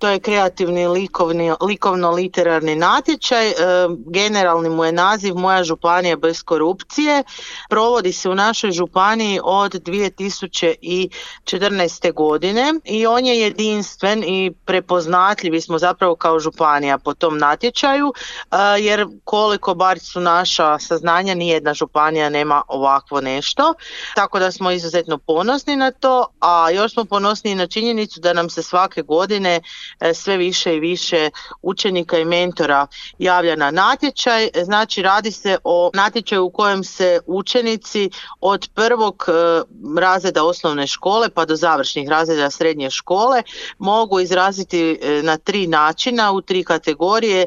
To je kreativni likovno-literarni natječaj. Generalni mu je naziv Moja županija bez korupcije. Provodi se u našoj županiji od 2014. godine i on je jedinstven i prepoznatljivi smo zapravo kao županija po tom natječaju, jer koliko bar su naša saznanja, nijedna županija nema ovakvo nešto. Tako da smo izuzetno ponosni na to, a još smo ponosni na činjenicu da nam se svake godine sve više i više učenika i mentora javlja na natječaj. Znači radi se o natječaju u kojem se učenici od prvog razreda osnovne škole pa do završnih razreda srednje škole mogu izraziti na 3 načina, u 3 kategorije,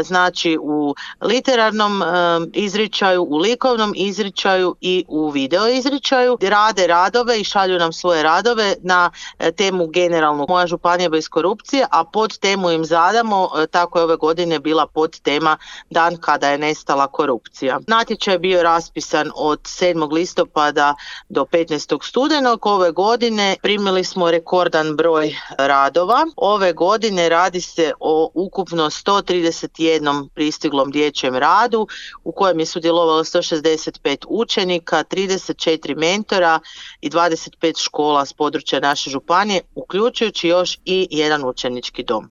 znači u literarnom izričaju, u likovnom izričaju i u video izričaju. Rade radove i šalju nam svoje radove na temu generalnu Moja županija bez korupcije, a pod temu im zadamo, tako je ove godine bila pod tema Dan kada je nestala korupcija. Natječaj je bio raspisan od 7. listopada do 15. studenog. Ove godine primili smo rekordan broj radova. Ove godine radi se o ukupno 131 pristiglom dječjem radu u kojem je sudjelovalo 165 učenika, 34 mentora i 25 škola s područja naše županije, uključujući još i jedan učenički dom.